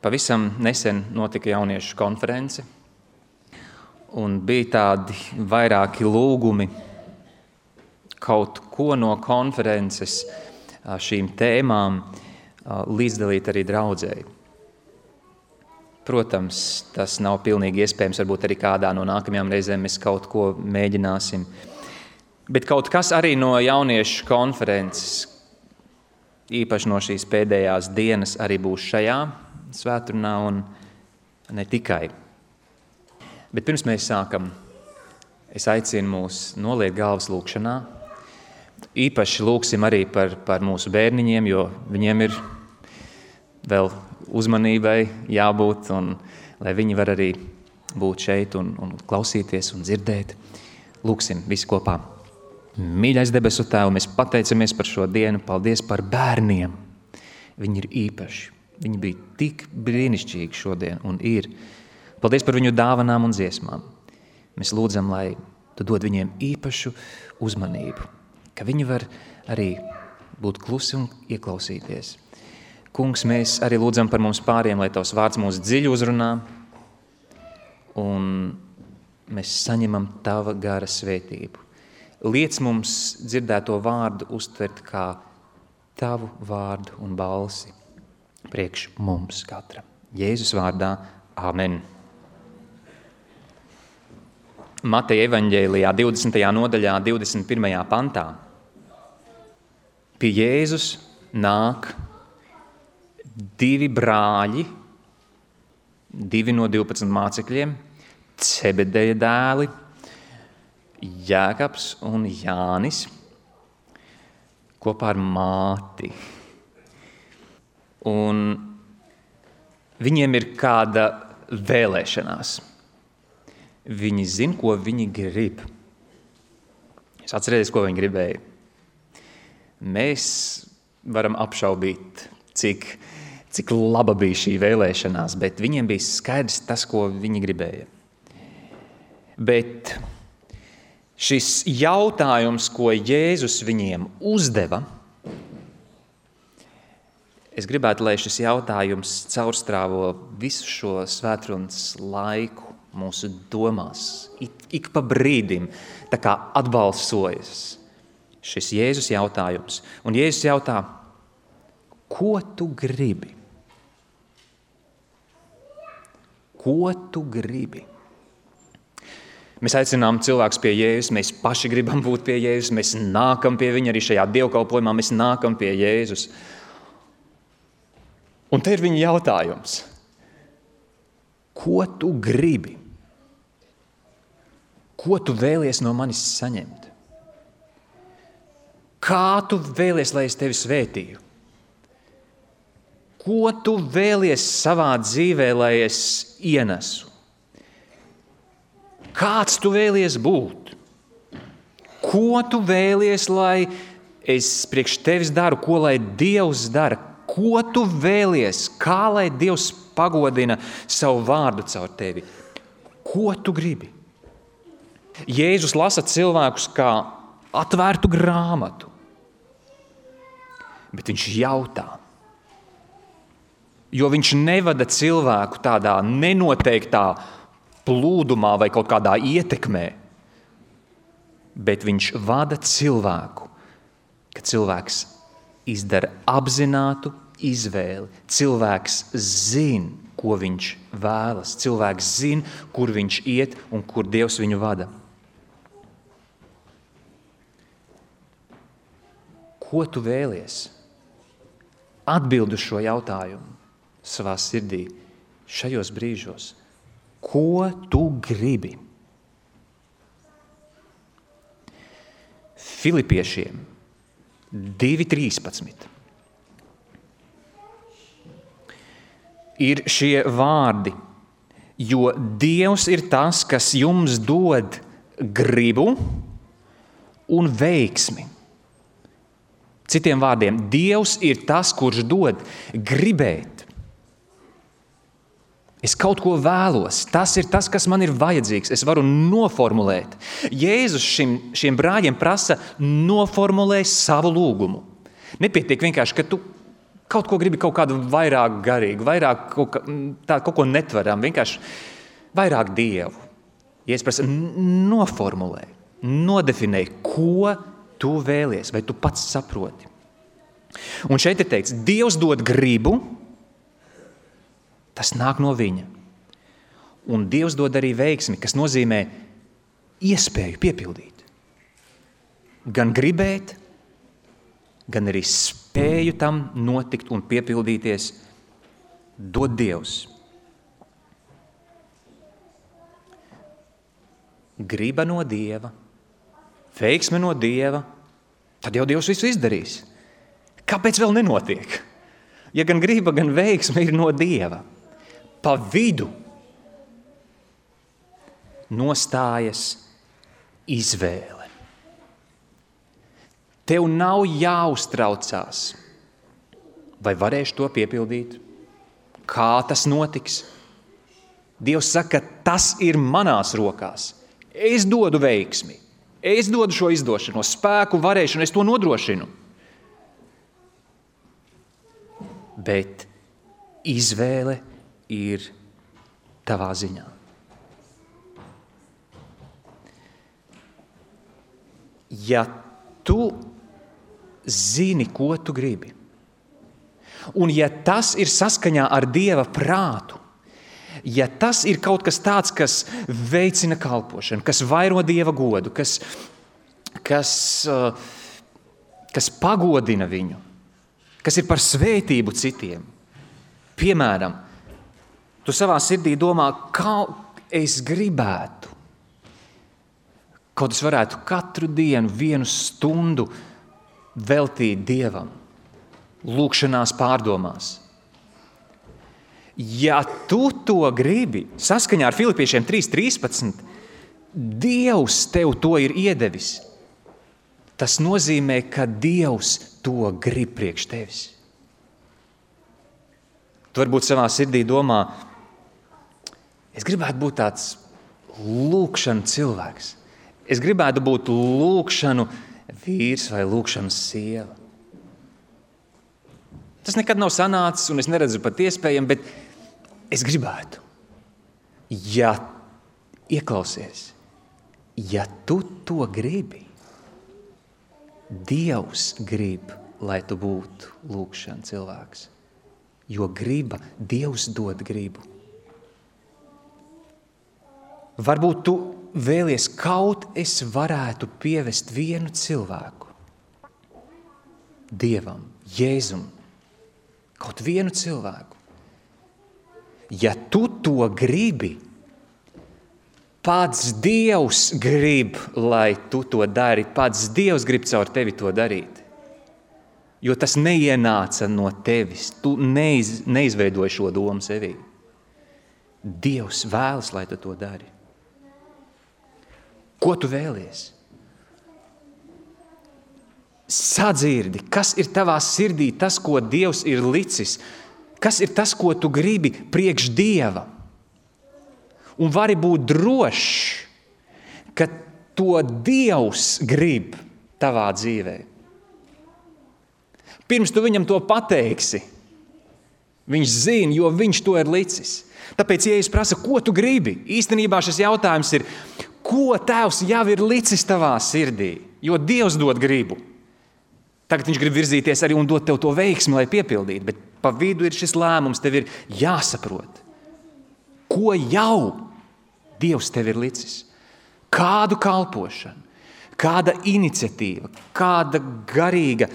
Pavisam nesen notika jauniešu konference, un bija tādi vairāki lūgumi kaut ko no konferences šīm tēmām līdzdalīt arī draudzēji. Protams, tas nav pilnīgi iespējams, varbūt arī kādā no nākamajām reizēm mēs kaut ko mēģināsim. Bet kaut kas arī no jauniešu konferences, īpaši no šīs pēdējās dienas, arī būs šajā svētdienā un ne tikai. Bet pirms mēs sākam, es aicinu mūs noliekt galvas lūkšanā. Īpaši lūksim arī par mūsu bērniņiem, jo viņiem ir vēl uzmanībai jābūt, un lai viņi var arī būt šeit un klausīties un dzirdēt. Lūksim visi kopā. Mīļais debesu Tēvu, mēs pateicamies par šo dienu, paldies par bērniem. Viņi ir īpaši, viņi bija tik brīnišķīgi šodien un ir. Paldies par viņu dāvanām un dziesmām. Mēs lūdzam, lai Tu dod viņiem īpašu uzmanību, ka viņi var arī būt klusi un ieklausīties. Kungs, mēs arī lūdzam par mums pāriem, lai Tavs vārds mūs dziļi uzrunā, un mēs saņemam Tava gara svētību. Liec mums dzirdēto vārdu uztvert kā Tavu vārdu un balsi priekš mums katram. Jēzus vārdā, amen. Mateja evaņģēlijā 20. nodaļā 21. pantā. Pie Jēzus nāk 2 brāļi, 2 no 12 mācekļiem, Cebedeja dēli, Jēkabs un Jānis, kopā ar māti. Un viņiem ir kāda vēlēšanās. Viņi zina, ko viņi grib. Es atcerēties, ko viņi gribēja. Mēs varam apšaubīt, cik laba bija šī vēlēšanās, bet viņiem bija skaidrs tas, ko viņi gribēja. Bet šis jautājums, ko Jēzus viņiem uzdeva, es gribētu, lai šis jautājums caurstrāvo visu šo svētrunas laiku mūsu domās, ik pa brīdim, tā kā atbalsojas šis Jēzus jautājums. Un Jēzus jautā, ko tu gribi? Ko tu gribi? Mēs aicinām cilvēkus pie Jēzus, mēs paši gribam būt pie Jēzus, mēs nākam pie viņa arī šajā dievkalpojumā, mēs nākam pie Jēzus. Un te ir viņa jautājums. Ko tu gribi? Ko tu vēlies no manis saņemt? Kā tu vēlies, lai es tevi svētīju? Ko tu vēlies savā dzīvē, lai es ienesu? Kāds tu vēlies būt? Ko tu vēlies, lai es priekš tevis daru? Ko lai Dievs dara? Ko tu vēlies? Kā lai Dievs pagodina savu vārdu caur tevi? Ko tu gribi? Jēzus lasa cilvēkus kā atvērtu grāmatu, bet viņš jautā, jo viņš nevada cilvēku tādā nenoteiktā plūdumā vai kaut kādā ietekmē, bet viņš vada cilvēku, ka cilvēks izdara apzinātu izvēli. Cilvēks zina, ko viņš vēlas. Cilvēks zina, kur viņš iet un kur Dievs viņu vada. Ko tu vēlies? Atbild uz šo jautājumu savā sirdī šajos brīžos. Ko tu gribi? Filipiešiem 2.13 ir šie vārdi, jo Dievs ir tas, kas jums dod gribu un veiksmi. Citiem vārdiem, Dievs ir tas, kurš dod gribēt. Es kaut ko vēlos, tas ir tas, kas man ir vajadzīgs, es varu noformulēt. Jēzus šiem brāļiem prasa noformulēt savu lūgumu. Nepietiek vienkārši, ka tu Kaut ko gribi kaut kādu vairāk garīgu, vairāk kaut ko netveram, vienkārši vairāk Dievu. Jēzus prasa, noformulē, nodefinē, ko tu vēlies, vai tu pats saproti. Un šeit ir teikts, Dievs dod gribu, tas nāk no viņa. Un Dievs dod arī veiksmi, kas nozīmē iespēju piepildīt. Gan gribēt, gan arī spēju tam notikt un piepildīties dod Dievs. Griba no Dieva, veiksme no Dieva, tad jau Dievs visu izdarīs. Kāpēc vēl nenotiek? Ja gan griba, gan veiksme ir no Dieva. Pa vidu nostājas izvēle. Tev nav jāuztraucās, vai varēšu to piepildīt, kā tas notiks. Dievs saka, tas ir manās rokās. Es dodu veiksmi, es dodu šo izdošanos, spēku, varēšanu, es to nodrošinu. Bet izvēle ir tavā ziņā. Ja tu zini, ko tu gribi, un ja tas ir saskaņā ar Dieva prātu, ja tas ir kaut kas tāds, kas veicina kalpošanu, kas vairo Dieva godu, kas pagodina viņu, kas ir par svētību citiem. Piemēram, tu savā sirdī domā, kā es gribētu, kaut es varētu katru dienu 1 stundu veltīt Dievam, lūkšanās pārdomās. Ja tu to gribi, saskaņā ar Filipiešiem 3.13, Dievs tev to ir iedevis. Tas nozīmē, ka Dievs to grib priekš tevis. Tu varbūt savā sirdī domā, es gribētu būt tāds lūkšanu cilvēks. Es gribētu būt lūkšanu vīrs vai lūkšanas sieva. Tas nekad nav sanācis, un es neredzu pat iespējami, bet es gribētu. Ja ieklausies, ja tu to gribi, Dievs grib, lai tu būtu lūkšana cilvēks. Jo griba, Dievs dod gribu. Varbūt tu vēlies, kaut es varētu pievest 1 cilvēku Dievam, Jēzum, kaut 1 cilvēku. Ja tu to gribi, pats Dievs grib, lai tu to dari, pats Dievs grib caur tevi to darīt. Jo tas neienāca no tevis, tu neizveidoji šo domu sevī. Dievs vēlas, lai tu to dari. Ko tu vēlies? Sadzirdi, kas ir tavā sirdī, tas, ko Dievs ir licis, kas ir tas, ko tu gribi priekš Dieva. Un vari būt drošs, ka to Dievs grib tavā dzīvē. Pirms tu viņam to pateiksi, viņš zina, jo viņš to ir licis. Tāpēc, ja es prasu, ko tu gribi, īstenībā šis jautājums ir, ko Tēvs jau ir licis tavā sirdī, jo Dievs dod gribu. Tagad viņš grib virzīties arī un dot tev to veiksmi, lai piepildītu, bet pa vidu ir šis lēmums, tev ir jāsaprot, ko jau Dievs tev ir licis. Kādu kalpošanu, kāda iniciatīva, kāda garīga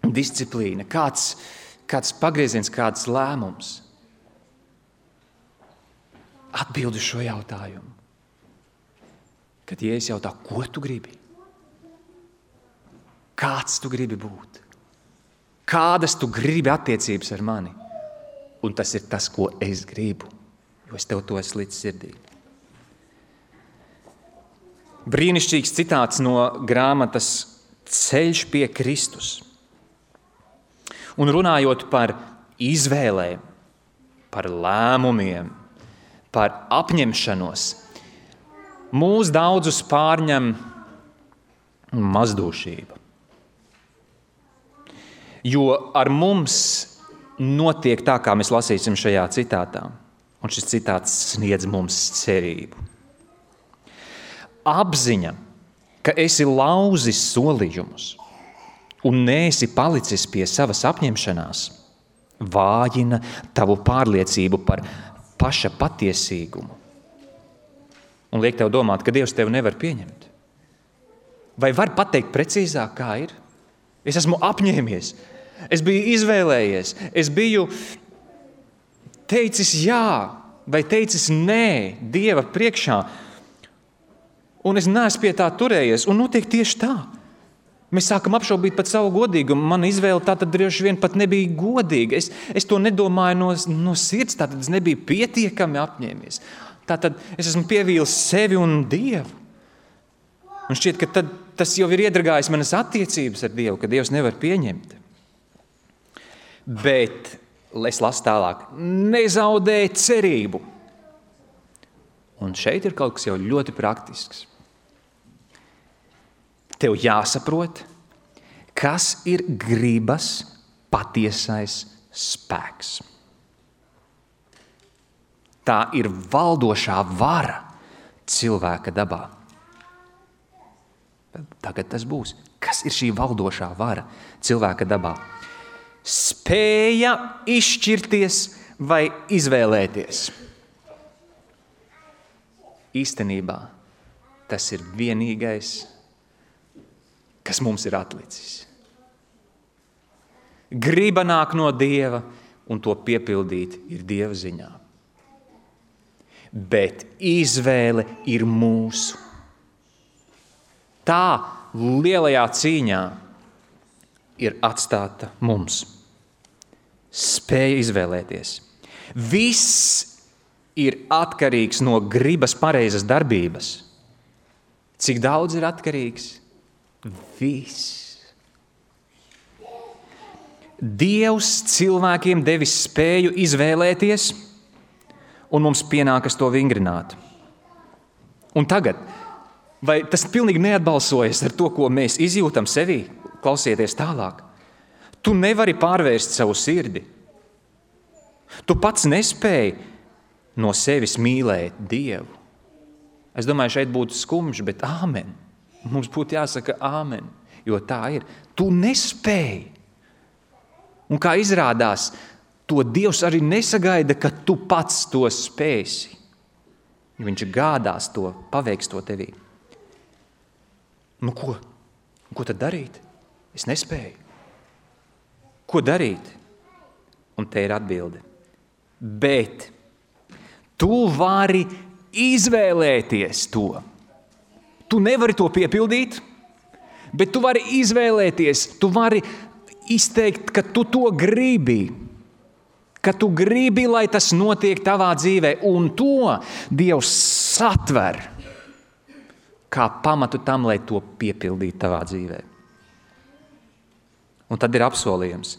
disciplīna, kāds pagrieziens, kāds lēmums. Atbildi šo jautājumu. Kad Jēzus jautā, ko tu gribi? Kāds tu gribi būt? Kādas tu gribi attiecības ar mani? Un tas ir tas, ko es gribu, jo es tev to esmu līdz sirdī. Brīnišķīgs citāts no grāmatas Ceļš pie Kristus. Un runājot par izvēlēm, par lēmumiem, par apņemšanos, mūs daudzus pārņem mazdūšība. Jo ar mums notiek tā, kā mēs lasīsim šajā citātā. Un šis citāts sniedz mums cerību. Apziņa, ka esi lauzis solījumus un neesi palicis pie savas apņemšanās, vājina tavu pārliecību par paša patiesīgumu. Un liek tev domāt, ka Dievs tevi nevar pieņemt. Vai var pateikt precīzāk, kā ir? Es esmu apņēmies, es biju izvēlējies, es biju teicis jā vai teicis nē Dieva priekšā, un es neesmu pie tā turējies, un notiek tieši tā. Mēs sākam apšaubīt pat savu godīgumu. Mana izvēle tātad droši vien pat nebija godīga. Es to nedomāju no sirds, tātad es nebiju pietiekami apņēmies. Tātad es esmu pievīlis sevi un Dievu. Un šķiet, ka tad tas jau ir iedragājis manas attiecības ar Dievu, ka Dievs nevar pieņemt. Bet, es lasu tālāk, nezaudē cerību. Un šeit ir kaut kas jau ļoti praktisks. Tev jāsaprot, kas ir gribas patiesais spēks. Tā ir valdošā vara cilvēka dabā. Tagad tas būs. Kas ir šī valdošā vara cilvēka dabā? Spēja izšķirties vai izvēlēties. Īstenībā tas ir vienīgais, kas mums ir atlicis. Griba nāk no Dieva, un to piepildīt ir Dieva ziņā. Bet izvēle ir mūsu. Tā lielajā cīņā ir atstāta mums. Spēja izvēlēties. Viss ir atkarīgs no gribas pareizas darbības. Cik daudz ir atkarīgs? Viss. Dievs cilvēkiem devis spēju izvēlēties, un mums pienākas to vingrināt. Un tagad, vai tas pilnīgi neatbalsojas ar to, ko mēs izjūtam sevī? Klausieties tālāk. Tu nevari pārvērst savu sirdi. Tu pats nespēji no sevis mīlēt Dievu. Es domāju, šeit būtu skumjš, bet āmen. Mums būtu jāsaka āmen, jo tā ir. Tu nespēji. Un kā izrādās, to Dievs arī nesagaida, ka tu pats to spēsi. Viņš gādās to, paveiks to tevī. Nu ko? Ko tad darīt? Es nespēju. Ko darīt? Un te ir atbilde. Bet tu vari izvēlēties to. Tu nevari to piepildīt, bet tu vari izvēlēties, tu vari izteikt, ka tu to gribi, ka tu gribi, lai tas notiek tavā dzīvē, un to Dievs satver kā pamatu tam, lai to piepildītu tavā dzīvē. Un tad ir apsolījums.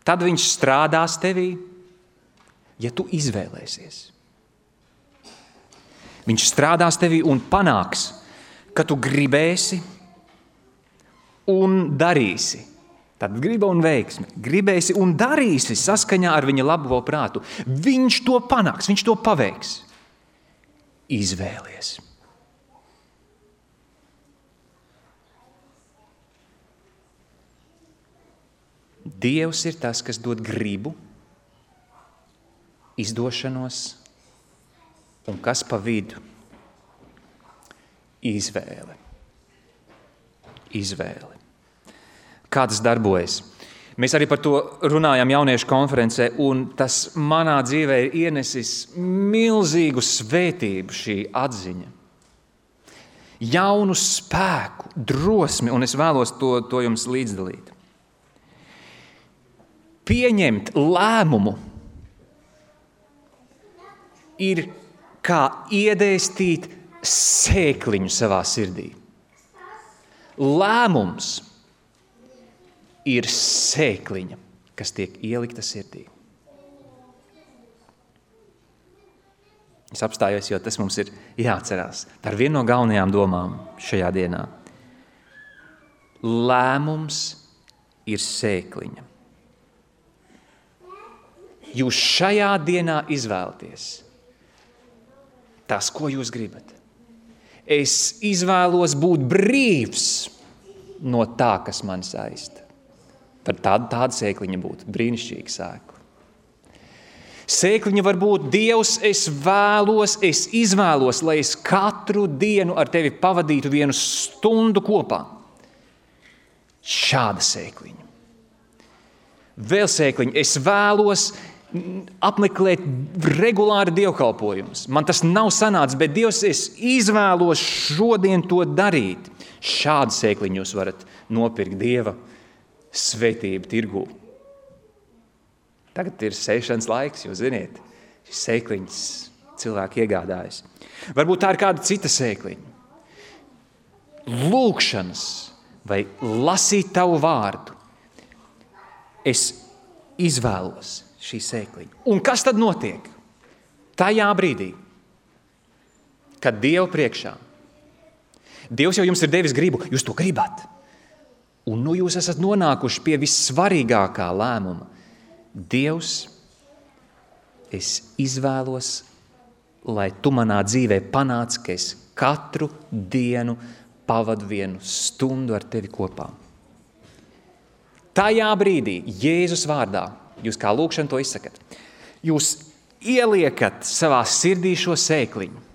Tad viņš strādās tevī, ja tu izvēlēsies. Viņš strādās tevī un panāks, ka tu gribēsi un darīsi. Tad griba un veiksme. Gribēsi un darīsi saskaņā ar viņa labo prātu. Viņš to panāks, viņš to paveiks. Izvēlies. Dievs ir tas, kas dod gribu, izdošanos un kas pa vidu? Izvēle. Izvēle. Kā tas darbojas? Mēs arī par to runājām jauniešu konferencē, un tas manā dzīvē ir ienesis milzīgu svētību šī atziņa. Jaunu spēku, drosmi, un es vēlos to jums līdzdalīt. Pieņemt lēmumu ir kā iedēstīt sēkliņu savā sirdī. Lēmums ir sēkliņa, kas tiek ielikta sirdī. Es apstājos, jo tas mums ir jāatcerās. Tā ir viena no galvenajām domām šajā dienā. Lēmums ir sēkliņa. jūs šajā dienā izvēlaties tas, ko jūs gribat. Es izvēlos būt brīvs no tā, kas man saista. Tad tāda sēkliņa būtu brīnišķīga sēkla. Sēkliņa var būt Dievs, es izvēlos, lai es katru dienu ar tevi pavadītu 1 stundu kopā. Šāda sēkliņa. Vēl sēkliņa, es vēlos apmeklēt regulāri dievkalpojumus. Man tas nav sanācis, bet Dievs, es izvēlos šodien to darīt. Šādu sēkliņu jūs varat nopirkt Dieva svētību tirgū. Tagad ir sēšanas laiks, jūs ziniet, šis sēkliņas cilvēki iegādājas. Varbūt tā ir kāda cita sēkliņa. Lūkšanas vai lasīt tavu vārdu. Es izvēlos šī sēkliņa. Un kas tad notiek? Tajā brīdī, kad Dievu priekšā, Dievs jau jums ir devis gribu, jūs to gribat. Un nu jūs esat nonākuši pie vissvarīgākā lēmuma. Dievs, es izvēlos, lai tu manā dzīvē panāc, ka es katru dienu pavadu 1 stundu ar tevi kopā. Tajā brīdī, Jēzus vārdā, jūs kā lūkšana to izsakat, jūs ieliekat savā sirdī šo sēkliņu.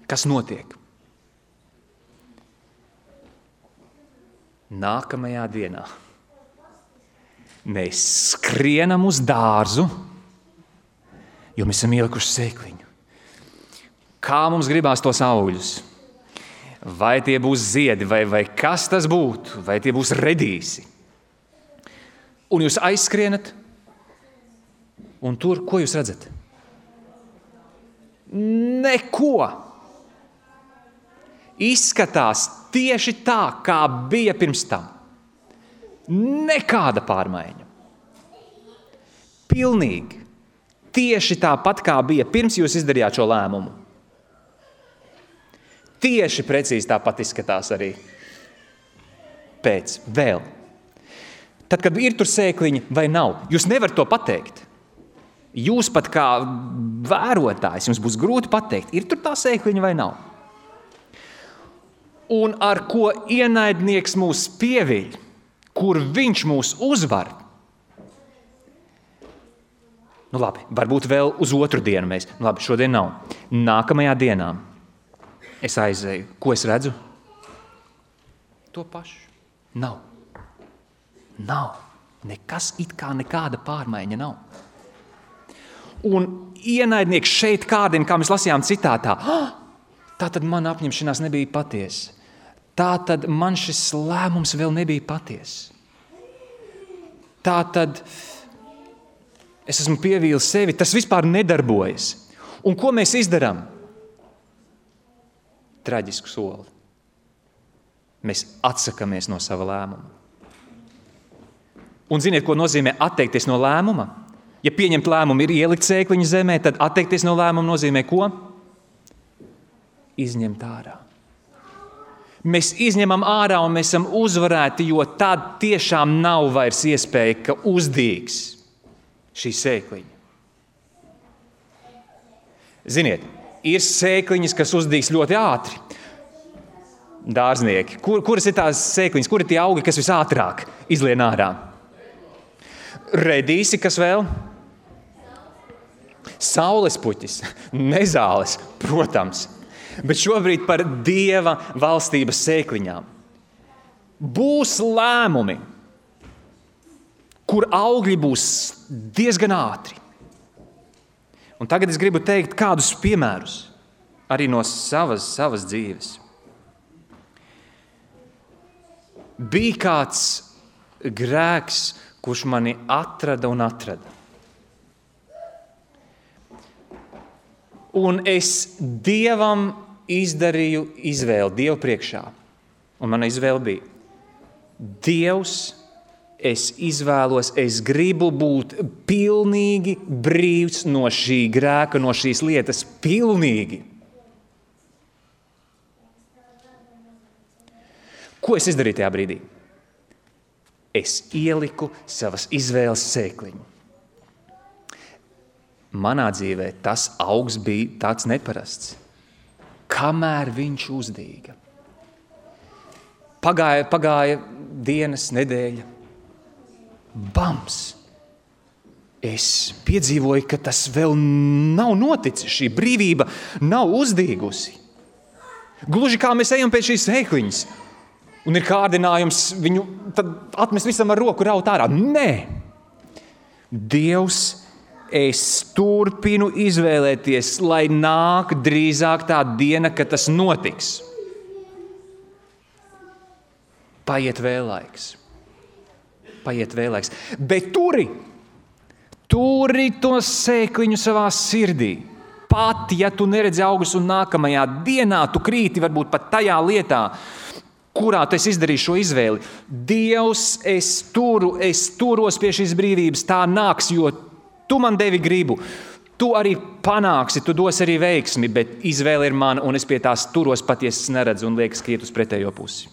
Kas notiek? Nākamajā dienā mēs skrienam uz dārzu, jo mēs esam ielikuši sēkliņu. Kā mums gribās tos augļus? Vai tie būs ziedi, vai kas tas būtu? Vai tie būs redīsi? Un jūs aizskrienat, un tur, ko jūs redzat? Neko. Izskatās tieši tā, kā bija pirms tam. Nekāda pārmaiņa. Pilnīgi. Tieši tāpat, kā bija pirms jūs izdarījāt šo lēmumu. Tieši precīzi tāpat izskatās arī pēc vēl. Tad, kad ir tur sēkliņa vai nav, jūs nevarat to pateikt. Jūs pat kā vērotājs, jums būs grūti pateikt, ir tur tā sēkliņa vai nav. Un ar ko ienaidnieks mūs pieviļ, kur viņš mūs uzvar. Nu labi, varbūt vēl uz otru dienu mēs. Nu labi, šodien nav. Nākamajā dienā es aizēju. Ko es redzu? To pašu. Nav. Nekas it kā nekāda pārmaiņa nav. Un ienaidnieks šeit kādiem, kā mēs lasījām citātā, tātad man apņemšanās nebija patiesa. Tātad man šis lēmums vēl nebija patiesa. Tātad es esmu pievīlis sevi, tas vispār nedarbojas. Un ko mēs izdarām? Traģisku soli. Mēs atsakamies no sava lēmuma. Un ziniet, ko nozīmē atteikties no lēmuma? Ja pieņemt lēmumu ir ielikt sēkliņu zemē, tad atteikties no lēmuma nozīmē ko? Izņemt ārā. Mēs izņemam ārā un mēs esam uzvarēti, jo tad tiešām nav vairs iespēja, ka uzdīgs šī sēkliņa. Ziniet, ir sēkliņas, kas uzdīgs ļoti ātri. Dārznieki. Kuras ir tās sēkliņas, kuri ir tie augi, kas visātrāk izlien ārā? Redīsi, kas vēl? Saules puķis, nezāles, protams. Bet šobrīd par Dieva valstības sēkliņām. Būs lēmumi, kur augļi būs diezgan ātri. Un tagad es gribu teikt kādus piemērus arī no savas dzīves. Bija kāds grēks, kurš mani atrada. Un es Dievam izdarīju izvēli Dievu priekšā. Un mana izvēle bija: Dievs, es izvēlos, es gribu būt pilnīgi brīvs no šī grēka, no šīs lietas, pilnīgi. Ko es izdarīju tajā brīdī? Es ieliku savas izvēles sēkliņu. manā dzīvē tas augs bija tāds neparasts. Kamēr viņš uzdīga. Pagāja dienas, nedēļa. Bams! Es piedzīvoju, ka tas vēl nav noticis. Šī brīvība nav uzdīgusi. Gluži kā mēs ejam pēc šīs sēkliņas. Un ir kārdinājums viņu tad atmest visam ar roku raut ārā. Nē! Dievs, es turpinu izvēlēties, lai nāk drīzāk tā diena, kad tas notiks. Paiet vēl laiks. Bet turi to sēkliņu savā sirdī. Pat, ja tu neredzi augus un nākamajā dienā tu krīti varbūt pat tajā lietā, kurā tu esi izdarījis šo izvēli. Dievs, es turos pie šīs brīvības, tā nāks, jo tu man devi gribu. Tu arī panāksi, tu dos arī veiksmi, bet izvēle ir mana, un es pie tās turos patiesi neredzu un liekas, ka iet uz pretējo pusi.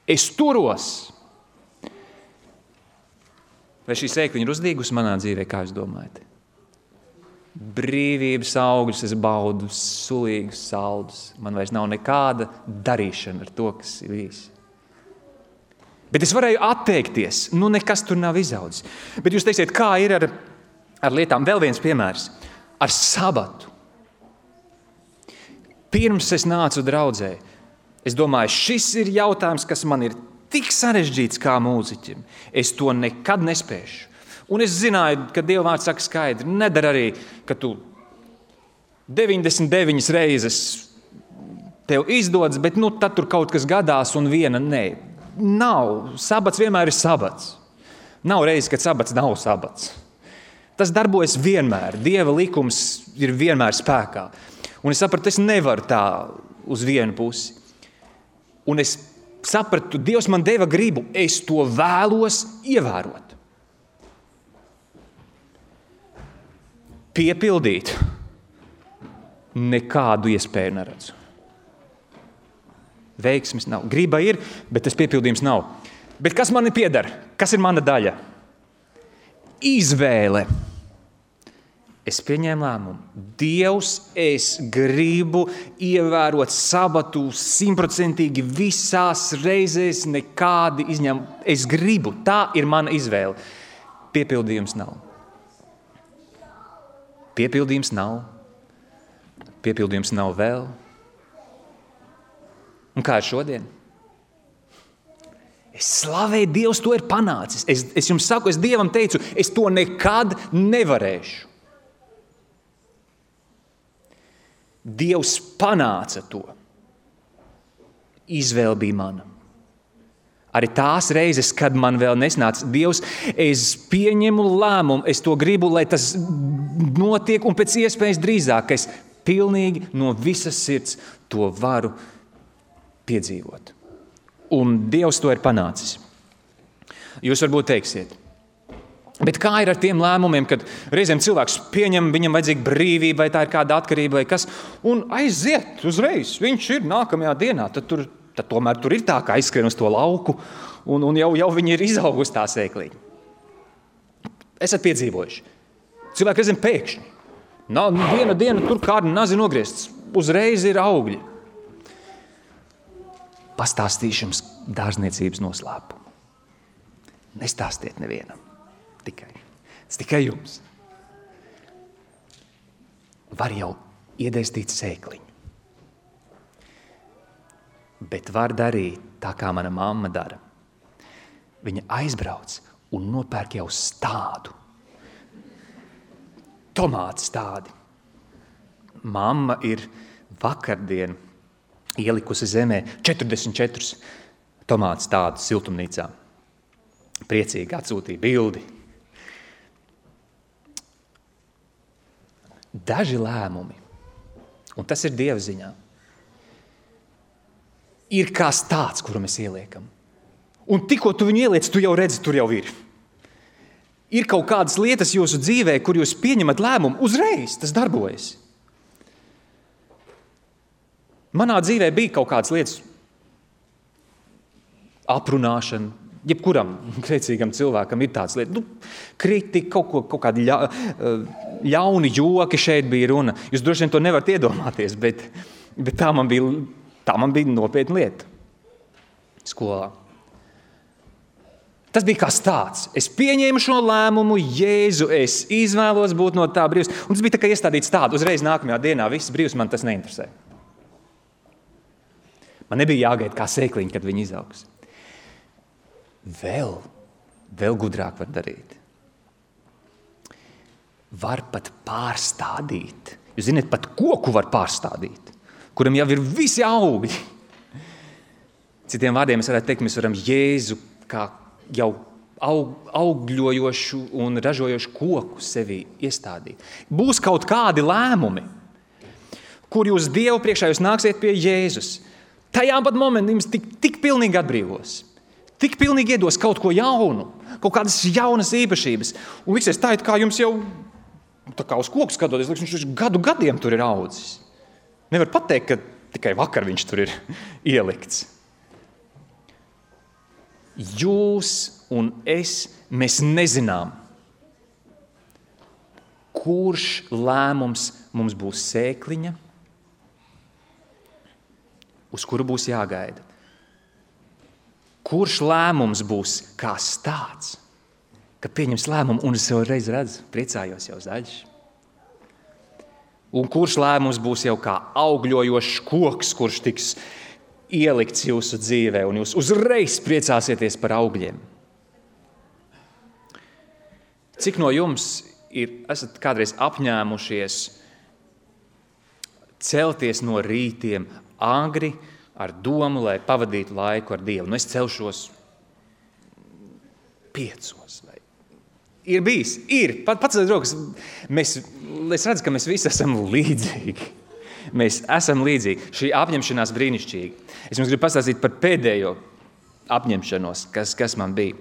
Es turos. Vai šī sēkliņa ir uzdīgusi manā dzīvē, kā jūs domājat? Brīvības augļus es baudu, sulīgus saldus. Man vairs nav nekāda darīšana ar to, kas ir bijis. Bet es varēju atteikties, nekas tur nav izaudzis. Bet jūs teiksiet, kā ir ar lietām? Vēl viens piemērs. Ar sabatu. Pirms es nācu draudzē, es domāju, šis ir jautājums, kas man ir tik sarežģīts kā mūziķim. Es to nekad nespēšu. Un es zināju, ka Dieva vārds saka skaidri, nedara arī, ka tu 99 reizes tev izdodas, bet tad tur kaut kas gadās un viena nē. Nav. Sabats vienmēr ir sabats. Nav reizes, kad sabats nav sabats. Tas darbojas vienmēr. Dieva likums ir vienmēr spēkā. Un es sapratu, es nevaru tā uz vienu pusi. Un es sapratu, Dievs man deva gribu, es to vēlos ievērot. Piepildīt nekādu iespēju neredzu. Veiksmes nav. Griba ir, bet tas piepildījums nav. Bet kas man pieder? Kas ir mana daļa? Izvēle. Es pieņēmu lēmumu. Dievs, es gribu ievērot sabatu 100% visās reizēs, nekādi izņēmumi. Es gribu. Tā ir mana izvēle. Piepildījums nav. Piepildījums nav vēl. Un kā ir šodien? Es slavēju, Dievs to ir panācis. Es jums saku, es Dievam teicu, es to nekad nevarēšu. Dievs panāca to. Izvēle bija mana. Arī tās reizes, kad man vēl nesnāca Dievs, es pieņemu lēmumu, es to gribu, lai tas notiek un pēc iespējas drīzāk, es pilnīgi no visas sirds to varu piedzīvot. Un Dievs to ir panācis. Jūs varbūt teiksiet, bet kā ir ar tiem lēmumiem, kad reizēm cilvēks pieņem, viņam vajadzīga brīvība, vai tā ir kāda atkarība, vai kas, un aiziet uzreiz, viņš ir nākamajā dienā, tad tomēr tur ir tā, kā aizskrien uz to lauku, un jau viņi ir izaugusi tā sēkliņa. Esat piedzīvojuši. Cilvēki reizēm pēkšņi. Viena diena tur kāda nazi nogriezts, uzreiz ir augļi. Pastāstīšu jums dārzniecības noslēpumu. Nestāstiet nevienam. Tikai jums. Var jau iedēstīt sēkliņu. Bet var darīt tā, kā mana mamma dara. Viņa aizbrauc un nopērk jau stādu. Tomātu stādi. Mamma ir vakardien ielikusi zemē 44 tomātu stādus siltumnīcā. Priecīgi atsūtīja bildi. Daži lēmumi, un tas ir Dieva ziņā, ir kā stāds, kuru mēs ieliekam. Un tikko tu viņu ieliec, tu jau redzi, tur jau ir. Ir kaut kādas lietas jūsu dzīvē, kur jūs pieņemat lēmumu, uzreiz tas darbojas. Manā dzīvē bija kaut kādas lietas, aprunāšana, jebkuram grēcīgam cilvēkam ir tāds lieta. Kritika, kaut kādi ļauni joki šeit bija runa. Jūs droši vien to nevarat iedomāties, bet tā man bija nopietna lieta skolā. Tas bija kā stāsts. Es pieņēmu šo lēmumu, Jēzu, es izvēlos būt no tā brīvs. Un tas bija tā kā iestādīts tādu, uzreiz nākamajā dienā viss brīvs, man tas neinteresē. Man nebija jāgaida kā sēkliņa, kad viņi izaugs. Vēl gudrāk var darīt. Var pat pārstādīt. Jūs zināt, pat koku var pārstādīt, kuram jau ir visi augļi. Citiem vārdiem es varētu teikt, mēs varam Jēzu kā jau augļojošu un ražojošu koku sevī iestādīt. Būs kaut kādi lēmumi, kur jūs Dievu priekšā jūs nāksiet pie Jēzus. Tajā pat momentā jums tik pilnīgi atbrīvos. Tik pilnīgi iedos kaut ko jaunu, kaut kādas jaunas īpašības. Un liksies tā, kā jums jau tā kā uz koku skatoties, viņš gadiem tur ir audzis. Nevar pateikt, ka tikai vakar viņš tur ir ielikts. Jūs un es, mēs nezinām, kurš lēmums mums būs sēkliņa, uz kuru būs jāgaida. Kurš lēmums būs kā stāsts, ka pieņems lēmumu, un es jau reiz redzu, priecājos jau zaļš. Un kurš lēmums būs jau kā augļojošs koks, kurš tiks ielikts jūsu dzīvē, un jūs uzreiz priecāsieties par augļiem. Cik no jums esat kādreiz apņēmušies celties no rītiem agri, ar domu, lai pavadītu laiku ar Dievu? Es celšos 5. Ir bijis, pats rokas. Es redzu, ka mēs visi esam līdzīgi. Mēs esam līdzīgi. Šī apņemšanās brīnišķīga. Es jums gribu pastāstīt par pēdējo apņemšanos, kas man bija.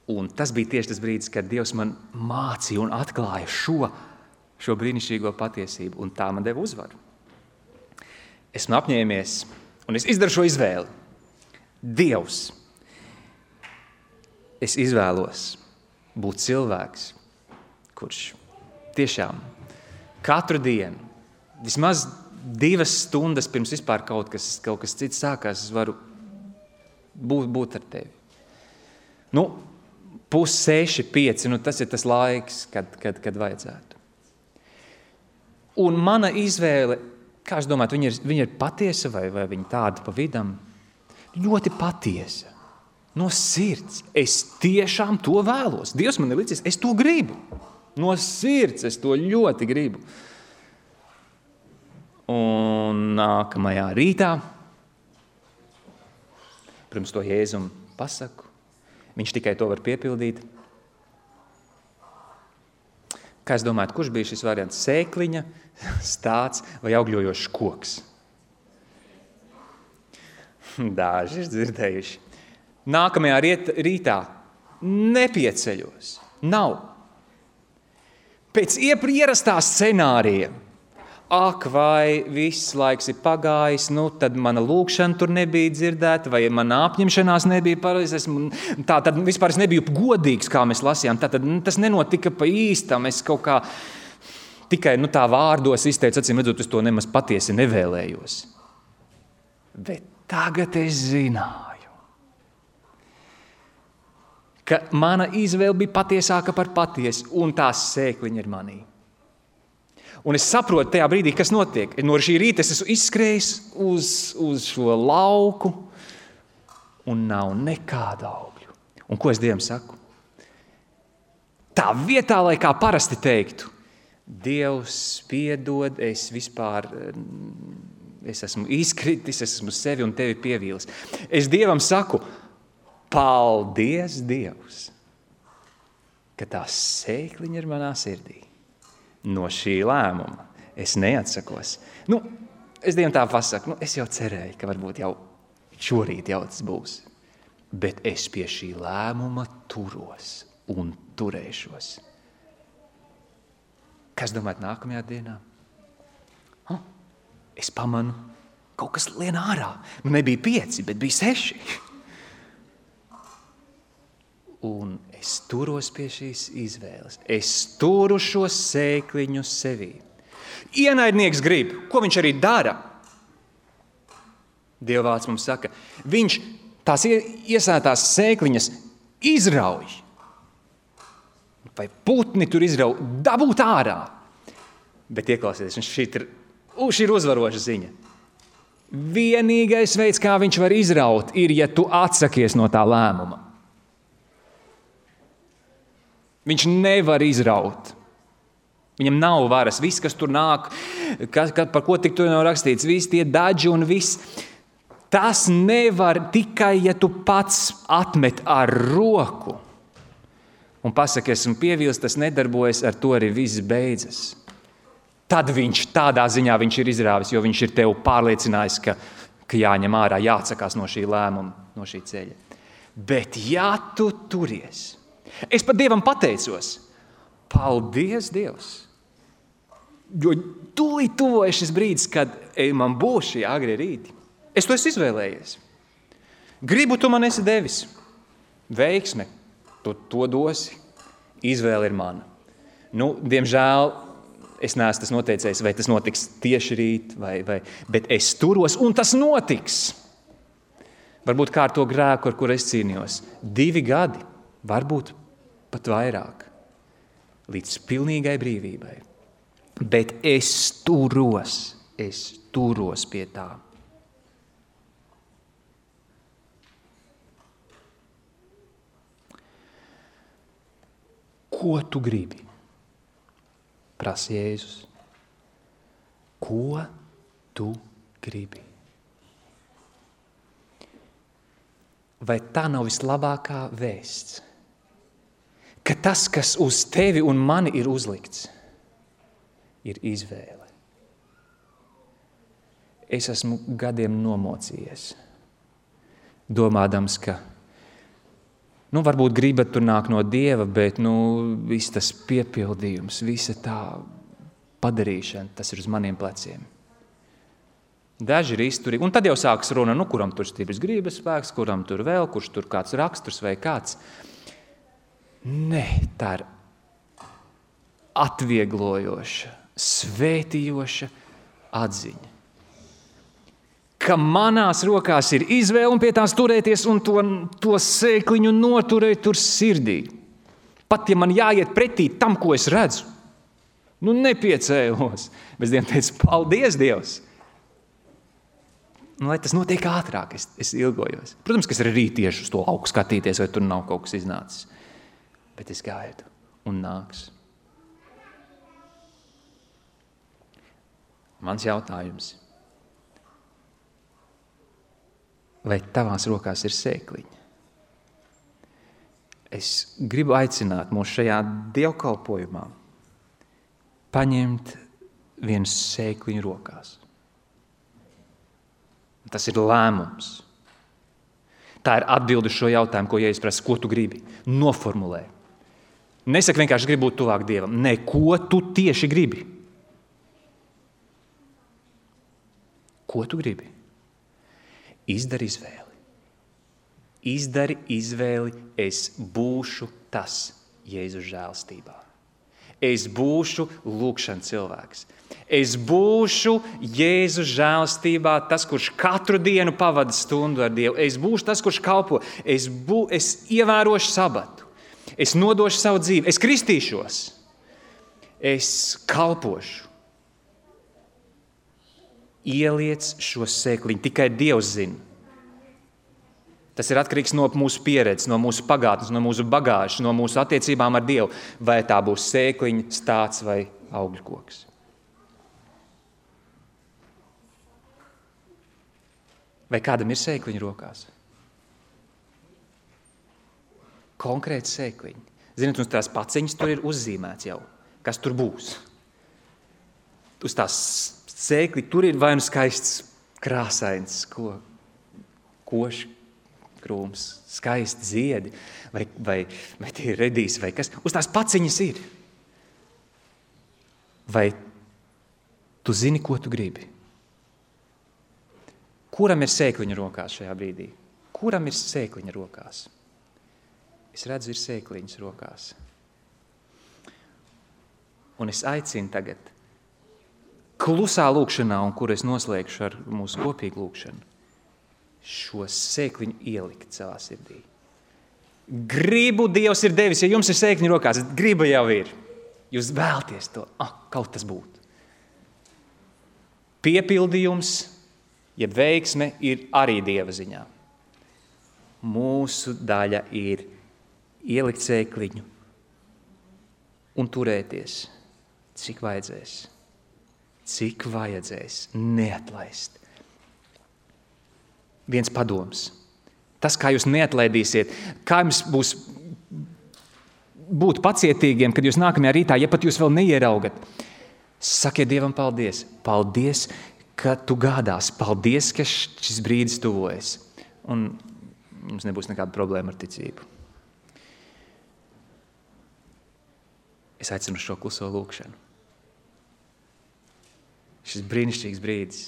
Un tas bija tieši tas brīdis, kad Dievs man mācīja un atklāja šo brīnišķīgo patiesību, un tā man deva uzvaru. Esmu apņēmies, un es izdaru šo izvēli. Dievs, es izvēlos būt cilvēks, kurš tiešām katru dienu, vismaz 2 stundas pirms vispār kaut kas cits sākās, es varu būt ar tevi. 5:30, 5, tas ir tas laiks, kad vajadzētu. Un mana izvēle, kā es domāju, viņa ir patiesa vai viņa tāda pa vidam? Ļoti patiesa. No sirds. Es tiešām to vēlos. Dievs man ir licis, es to gribu. No sirds es to ļoti gribu. Un nākamajā rītā, pirms to Jēzum pasaku, viņš tikai to var piepildīt. Kā es domāju, kurš bija šis variants? Sēkliņa, stāts vai augļojošs koks? Daži ir dzirdējuši. Nākamajā rītā nepieceļos. Nav. Pēc ierastā scenārija. Ak, vai viss laiks ir pagājis, tad mana lūkšana tur nebija dzirdēta, vai mana apņemšanās nebija pareiza. Tad vispār es nebiju godīgs, kā mēs lasījām. Tas nenotika pa īstam. Es kaut kā tikai tā vārdos izteicu, acīm redzot, es to nemaz patiesi nevēlējos. Bet tagad es zināju, ka mana izvēle bija patiesāka par patiesu, un tās sēkliņa ir manī. Un es saprotu tajā brīdī, kas notiek. No šī rīta es esmu izskrējis uz šo lauku, un nav nekāda augļu. Un ko es Dievam saku? Tā vietā, lai kā parasti teiktu, Dievs piedod, es esmu izkritis, es esmu sevi un tevi pievīlis. Es Dievam saku, paldies, Dievs, ka tā sēkliņa ir manā sirdī. No šī lēmuma es neatsakos. Es Dievam tā pasaku, es jau cerēju, ka varbūt jau šorīt jau tas būs. Bet es pie šī lēmuma turos un turēšos. Kas domājat nākamajā dienā? Es pamanu, kaut kas lien ārā. Nebija 5, bet bija 6. un es turos pie šīs izvēles. Es turu šo sēkliņu sevī. Ienaidnieks grib, ko viņš arī dara. Dieva vārds mums saka, viņš tās iesētās sēkliņas izrauj. Vai putni tur izrauj, dabūt ārā. Bet ieklausieties, šī ir uzvaroša ziņa. Vienīgais veids, kā viņš var izraut, ir, ja tu atsakies no tā lēmuma. Viņš nevar izraut. Viņam nav varas. Viss, kas tur nāk, par ko tik tur nav rakstīts, visi tie daži un viss, tas nevar tikai, ja tu pats atmet ar roku. Un pasaki, esmu pievils, tas nedarbojas, ar to arī viss beidzas. Tad tādā ziņā viņš ir izrāvis, jo viņš ir tev pārliecinājis, ka jāņem ārā, jāatsakās no šī lēmuma, no šī ceļa. Bet ja tu turies, es pat Dievam pateicos, paldies Dievs, jo tūlīt tuvojas šis brīdis, kad man būs šī agrie rīti. Es to esmu izvēlējies. Gribu tu man esi devis. Veiksme, tu to dosi. Izvēle ir mana. Diemžēl, es neesmu tas noteicējis, vai tas notiks tieši rīt, bet es turos, un tas notiks. Varbūt kā ar to grēku, ar kuru es cīnījos. 2 gadi, varbūt pat vairāk, līdz pilnīgai brīvībai. Bet es turos pie tā. Ko tu gribi? Prasa Jēzus. Ko tu gribi? Vai tā nav vislabākā vēsts? Ka tas, kas uz tevi un mani ir uzlikts, ir izvēle. Es esmu gadiem nomocījies, domādams, ka varbūt griba tur nāk no Dieva, bet viss tas piepildījums, visa tā padarīšana, tas ir uz maniem pleciem. Daži ir izturīgi, un tad jau sākas runa, kuram tur stiprs gribas spēks, kuram tur vēl, kurš tur kāds raksturs vai kāds. Nē, tā ir atvieglojoša, svētījoša atziņa. Ka manās rokās ir izvēle un pie tās turēties un to sēkliņu noturēt tur sirdī. Pat, ja man jāiet pretī tam, ko es redzu, nepiecēlos. Bet Dievam teicu, paldies Dievs. Lai tas notiek ātrāk, es ilgojos. Protams, ka es arī rītiešu uz to lauku skatīties, vai tur nav kaut kas iznācis. Bet es gaidu un nāks. Mans jautājums. Vai tavās rokās ir sēkliņa? Es gribu aicināt mūs šajā dievkalpojumā paņemt vienu sēkliņu rokās. Tas ir lēmums. Tā ir atbilde uz šo jautājumu, ko Jēzus prasa, ko tu gribi. Noformulē. Nesaki vienkārši gribu būt tuvāk Dievam. Nē, ko tu tieši gribi? Ko tu gribi? Izdari izvēli. Izdari izvēli, es būšu tas Jēzus žēlstībā. Es būšu lūgšana cilvēks. Es būšu Jēzus žēlstībā tas, kurš katru dienu pavada stundu ar Dievu. Es būšu tas, kurš kalpo. Es ievērošu sabatu. Es nodošu savu dzīvi. Es kristīšos. Es kalpošu. Ieliec šo sēkliņu, tikai Dievs zina. Tas ir atkarīgs no mūsu pieredzes, no mūsu pagātnes, no mūsu bagāžas, no mūsu attiecībām ar Dievu, vai tā būs sēkliņa, stāts vai augļu koks. Vai kādam ir sēkliņa rokās? Konkrēti sēkliņi. Ziniet, uz tās paciņas tur ir uzzīmēts jau, kas tur būs. Uz tās sēkli tur ir vai nu skaists krāsains košs krūms, skaisti ziedi, vai tie ir redīs, vai kas. Uz tās paciņas ir. Vai tu zini, ko tu gribi? Kuram ir sēkliņa rokās šajā brīdī? Kuram ir sēkliņa rokās? Es redzu, ir sēkliņas rokās. Un es aicinu tagad klusā lūkšanā, un kur es noslēgšu ar mūsu kopīgu lūkšanu, šo sēkliņu ielikt savā sirdī. Gribu Dievs ir devis, ja jums ir sēkliņi rokās, griba jau ir. Jūs vēlties to, kaut tas būtu. Piepildījums, ja veiksme ir arī Dieva ziņā. Mūsu daļa ir ielikt sēkliņu un turēties, cik vajadzēs, neatlaist. Viens padoms. Tas, kā jūs neatlaidīsiet, kā jums būs būt pacietīgiem, kad jūs nākamajā rītā, ja pat jūs vēl neieraugat, sakiet Dievam paldies. Paldies, ka tu gādās. Paldies, ka šis brīdis tuvojas. Un jums nebūs nekāda problēma ar ticību. Es aicinu šo kluso lūkšanu. Šis brīnišķīgs brīdis,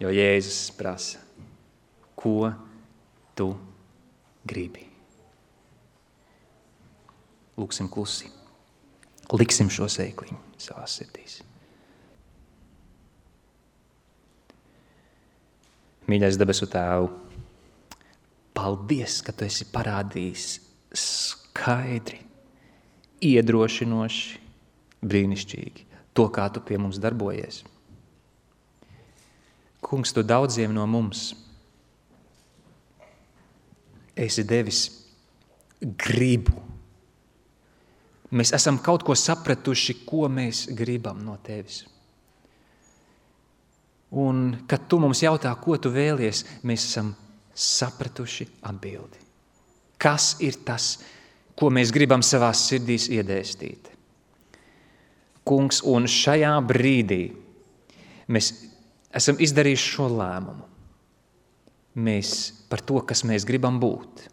jo Jēzus prasa, ko tu gribi. Lūksim klusi. Liksim šo sēkliņu savās sirdīs. Mīļais debesu Tēvu, paldies, ka tu esi parādījis skaidri, iedrošinoši, brīnišķīgi to, kā tu pie mums darbojies. Kungs, tu daudziem no mums esi devis gribu. Mēs esam kaut ko sapratuši, ko mēs gribam no tevis. Un, kad tu mums jautā, ko tu vēlies, mēs esam sapratuši atbildi. Kas ir tas, ko mēs gribam savās sirdīs iedēstīt? Kungs, un šajā brīdī mēs esam izdarījuši šo lēmumu. Mēs par to, kas mēs gribam būt,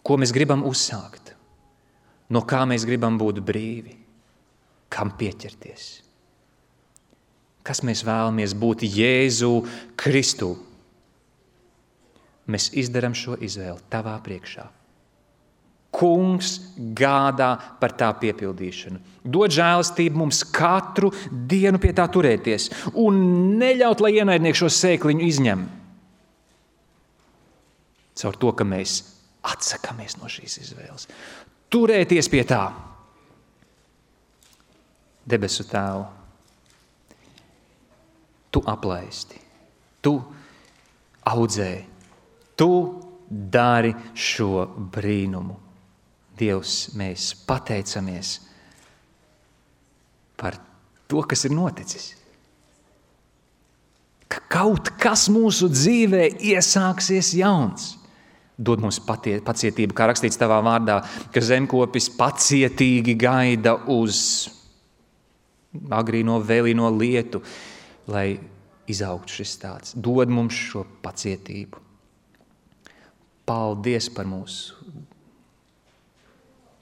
ko mēs gribam uzsākt, no kā mēs gribam būt brīvi, kam pieķerties. Kas mēs vēlamies būt Jēzu Kristu. Mēs izdaram šo izvēli tavā priekšā. Kungs gādā par tā piepildīšanu. Dod žēlastību mums katru dienu pie tā turēties un neļaut, lai ienaidnieki šo sēkliņu izņem. Caur to, ka mēs atsakamies no šīs izvēles. Turēties pie tā. Debesu Tēvu, tu aplaisti, tu audzē, tu dari šo brīnumu. Dievs, mēs pateicamies par to, kas ir noticis. Ka kaut kas mūsu dzīvē iesāksies jauns. Dod mums pacietību, kā rakstīts tavā vārdā, ka zemkopis pacietīgi gaida uz agrīno vēlīno lietu, lai izaugtu šis tāds. Dod mums šo pacietību. Paldies par mūsu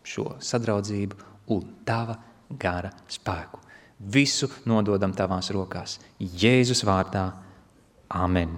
šo sadraudzību un tava gara spēku. Visu nododam tavās rokās. Jēzus vārdā. Amen.